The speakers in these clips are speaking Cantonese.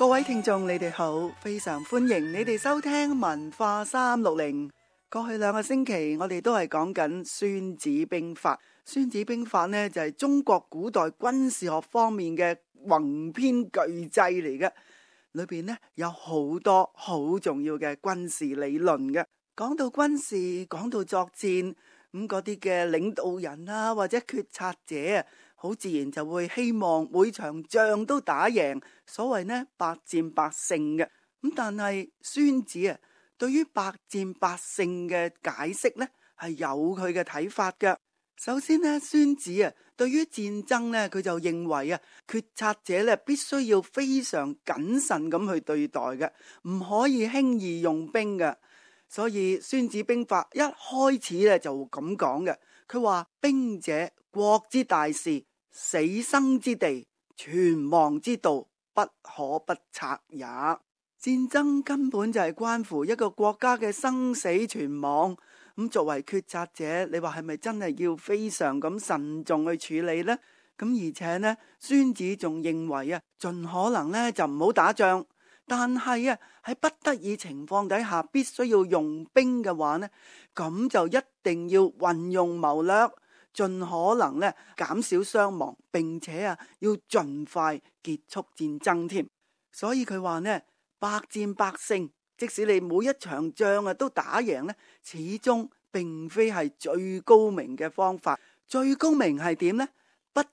各位聽眾，你哋好，非常歡迎你哋收聽文化360。過去2個星期，我哋都係講緊孫子兵法。孫子兵法呢，就係中國古代軍事學方面嘅宏篇巨製嚟嘅，裏邊呢有好多好重要嘅軍事理論嘅。講到軍事，講到作戰，咁嗰啲嘅領導人啊，或者決策者啊，好自然就會希望每場仗都打贏，所謂呢百戰百勝嘅。咁但係孫子啊，對於百戰百勝嘅解釋呢，係有佢嘅睇法嘅。首先呢，孫子啊，對於戰爭呢，佢就認為啊，決策者呢必須要非常謹慎咁去對待嘅，唔可以輕易用兵嘅。所以孫子兵法一開始咧就咁講嘅，佢話兵者，國之大事，死生之地，存亡之道，不可不察也。戰爭根本就係關乎一個國家嘅生死存亡。咁作為決策者，你話係咪真係要非常咁慎重去處理呢？咁而且呢，孫子仲認為啊，盡可能呢就唔好打仗。但係啊，喺不得已情況底下，必須要用兵嘅話呢，咁就一定要運用謀略，盡可能呢減少傷亡，並且啊要盡快結束戰爭添。所以佢話呢，百戰百勝，即使你每一場仗啊都打贏呢，始終並非係最高明嘅方法。最高明係點呢？不戰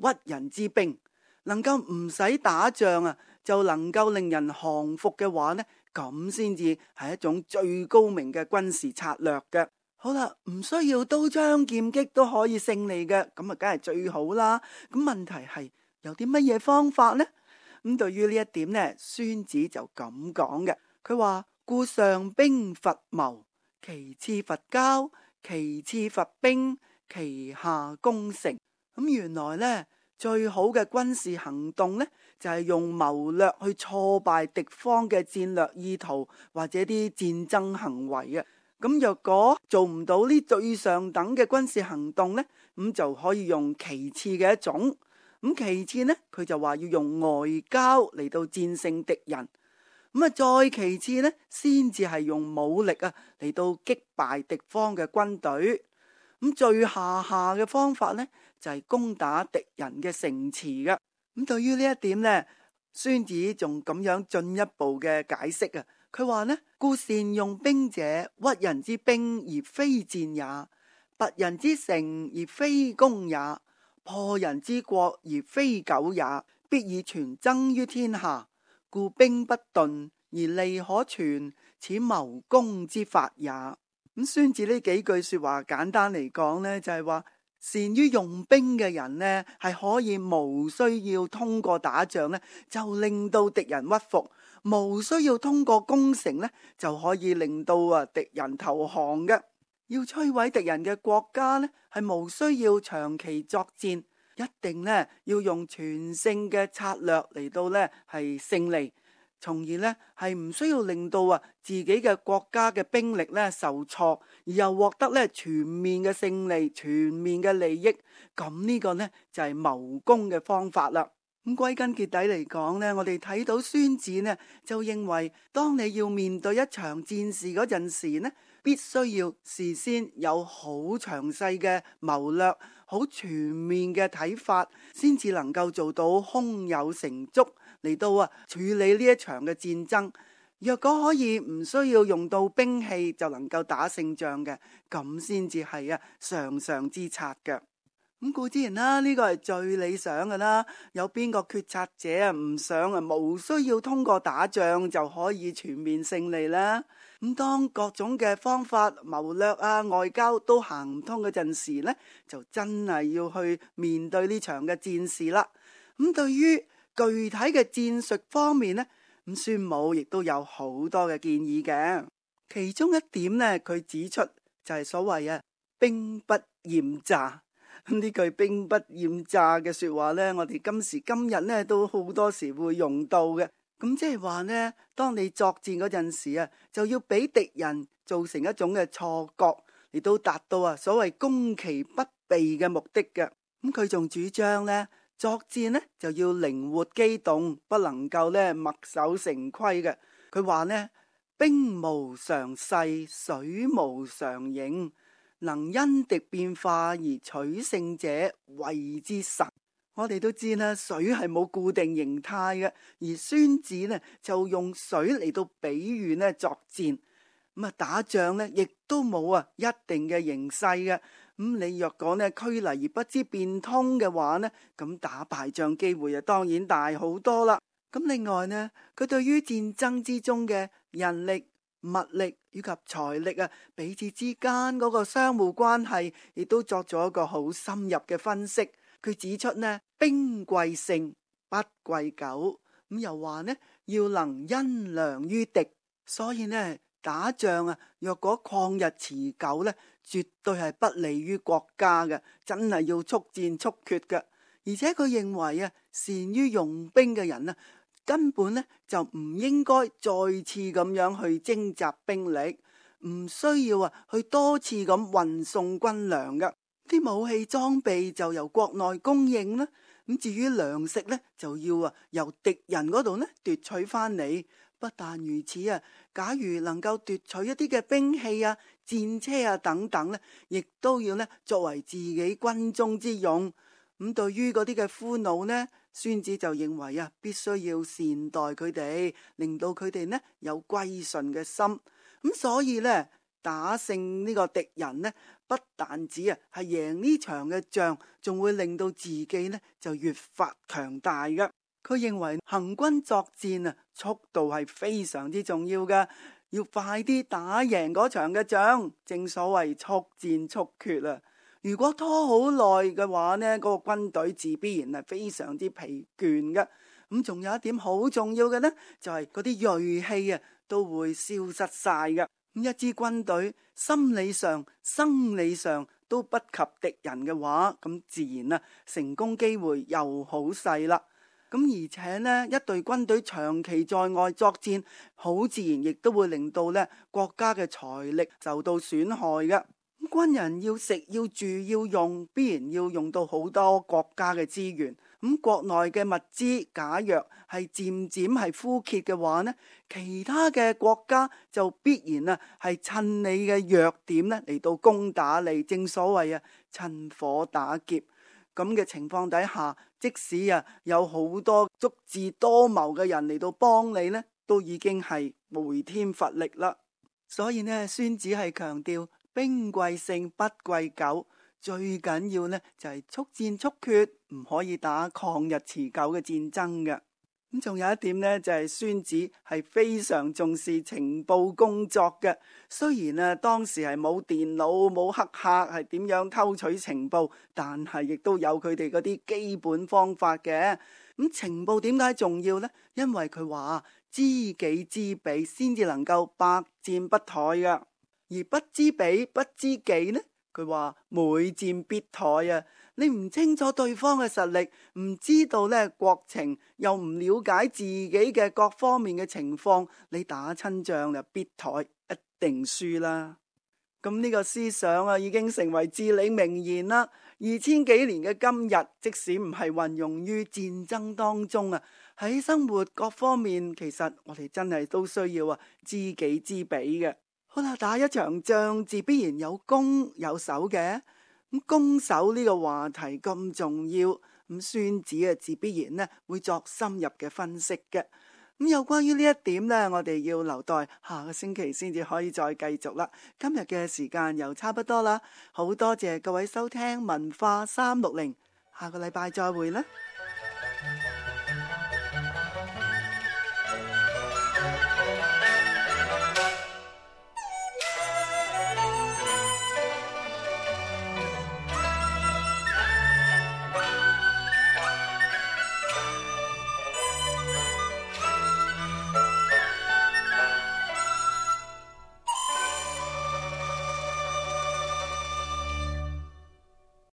而屈人之兵，能夠唔使打仗啊，就能夠令人降服嘅話呢，咁先至係一種最高明嘅軍事策略嘅。好啦，唔需要刀槍劍戟都可以勝利嘅，咁啊梗係最好啦。咁問題係有啲乜嘢方法呢？咁對於呢一點呢，孫子就咁講嘅。佢話：故上兵伐謀，其次伐交，其次伐兵，其下攻城。咁原來呢，最好嘅軍事行動呢，就係用謀略去挫敗敵方嘅戰略意圖或者啲戰爭行為嘅。咁若果做唔到呢最上等嘅軍事行動呢，咁就可以用其次嘅一種。咁其次呢，佢就話要用外交嚟到戰勝敵人。咁啊，再其次呢，先至係用武力啊嚟到擊敗敵方嘅軍隊。咁最下嘅方法呢，就係攻打敵人嘅城池嘅。咁對於呢一點呢，孫子仲咁樣進一步嘅解釋啊。佢話呢，故善用兵者，屈人之兵而非戰也，拔人之城而非攻也，破人之國而非久也，必以全爭於天下。故兵不鈍而利可存，此謀攻之法也。咁孫子呢幾句說話簡單嚟講呢，就係話善於用兵嘅人呢，係可以無需要通過打仗呢，就令到敵人屈服，無需要通過攻城呢，就可以令到敵人投降嘅。要摧毀敵人嘅國家呢，係無需要長期作戰，一定呢要用全勝嘅策略嚟到呢係勝利，從而呢係唔需要令到自己嘅國家嘅兵力呢受挫，而又獲得呢全面嘅勝利、全面嘅利益。咁呢個呢就係謀攻嘅方法啦。咁歸根結底嚟講呢，我哋睇到孫子呢就認為，當你要面對一場戰事嗰陣時呢，必須要事先有好詳細嘅謀略，好全面嘅睇法，先至能夠做到胸有成竹嚟到處理呢一場嘅戰爭。若果可以唔需要用到兵器就能夠打勝仗嘅，咁先至係上上之策嘅。咁固之然啦，呢個係最理想嘅啦。有邊個決策者唔想無需要通過打仗就可以全面勝利啦？咁當各種嘅方法、謀略外交都行唔通嗰陣時呢，就真係要去面對呢場嘅戰事啦。咁對於具體嘅戰術方面呢，咁孫武亦都有好多嘅建議嘅。其中一點呢，佢指出就係所謂兵不厭詐。呢句兵不厭詐嘅說話呢，我哋今時今日呢都好多時會用到嘅。咁即係話呢，當你作戰嗰陣時就要俾敵人造成一種嘅錯覺，嚟到達到所謂攻其不備嘅目的嘅。咁佢仲主張呢，作戰呢就要靈活機動，不能夠呢墨守成規嘅。佢話呢，兵無常勢，水無常形，能因敵變化而取勝者，謂之神。我哋都知啦，水係冇固定形態嘅，而孫子呢就用水嚟到比喻呢作戰。咁啊，打仗呢亦都冇一定嘅形勢嘅。咁你若果呢拘泥而不知變通嘅話呢，咁打敗仗機會當然大好多啦。咁另外呢，佢對於戰爭之中嘅人力、物力以及財力彼此之間嗰個相互關係，亦都作咗一個好深入嘅分析。佢指出呢，兵貴勝，不貴久。咁又話呢，要能因良於敵。所以呢，打仗若果曠日持久呢，絕對係不利於國家嘅，真係要速戰速決嘅。而且佢認為善於用兵嘅人根本呢就唔應該再次咁樣去徵集兵力，唔需要去多次咁運送軍糧嘅。啲武器裝備就由國內供應啦，咁至於糧食呢，就要由敵人嗰度呢奪取翻嚟。不但如此假如能夠奪取一啲嘅兵器戰車等等呢，亦都要呢作為自己軍中之用。咁對於嗰啲嘅俘虜呢，孫子就認為必須要善待佢哋，令到佢哋呢有歸順嘅心。咁所以呢，打勝呢個敵人呢，不但止係贏呢場嘅仗，仲會令到自己呢就越發強大嘅。佢認為行軍作戰速度係非常之重要嘅，要快啲打贏嗰場嘅仗。正所謂速戰速決。如果拖好耐嘅話呢，嗰個軍隊自必然係非常之疲倦嘅。咁仲有一點好重要嘅呢，就係嗰啲銳氣都會消失晒嘅。咁一支軍隊心理上、生理上都不及敵人嘅話，咁自然成功機會又好細啦。咁而且呢，一隊軍隊長期在外作戰，好自然亦都會令到呢國家嘅財力受到損害嘅。軍人要食要住要用，必然要用到好多國家嘅資源。咁國內嘅物資假若係漸漸係枯竭嘅話呢，其他嘅國家就必然係趁你嘅弱點呢嚟到攻打你。正所謂趁火打劫。咁嘅情況底下，即使有好多足智多謀嘅人嚟到幫你呢，都已經係回天乏力啦。所以呢，孫子係強調兵貴勝，不貴久，最緊要呢就係速戰速決，唔可以打曠日持久嘅戰爭嘅。咁仲有一點呢，就係孫子係非常重視情報工作嘅。雖然當時係冇電腦冇黑客係點樣偷取情報，但係亦都有佢哋嗰啲基本方法嘅。咁情報點解重要呢？因為佢話知己知彼先至能夠百戰不殆㗎，而不知彼不知己呢，佢話每戰必殆。你唔清楚對方嘅實力，唔知道呢國情，又唔了解自己嘅各方面嘅情況，你打親仗就必殆，一定輸啦。咁呢個思想已經成為至理名言啦。2000幾年嘅今日，即使唔係運用於戰爭當中喺生活各方面，其實我哋真係都需要知己知彼嘅。好啦，打一場仗自必然有攻有守嘅。咁攻守呢個話題咁重要，咁孫子自必然呢會作深入嘅分析嘅。咁有關於呢一點呢，我哋要留待下個星期先至可以再繼續啦。今日嘅時間又差不多啦，好多謝各位收聽文化360，下個禮拜再會啦。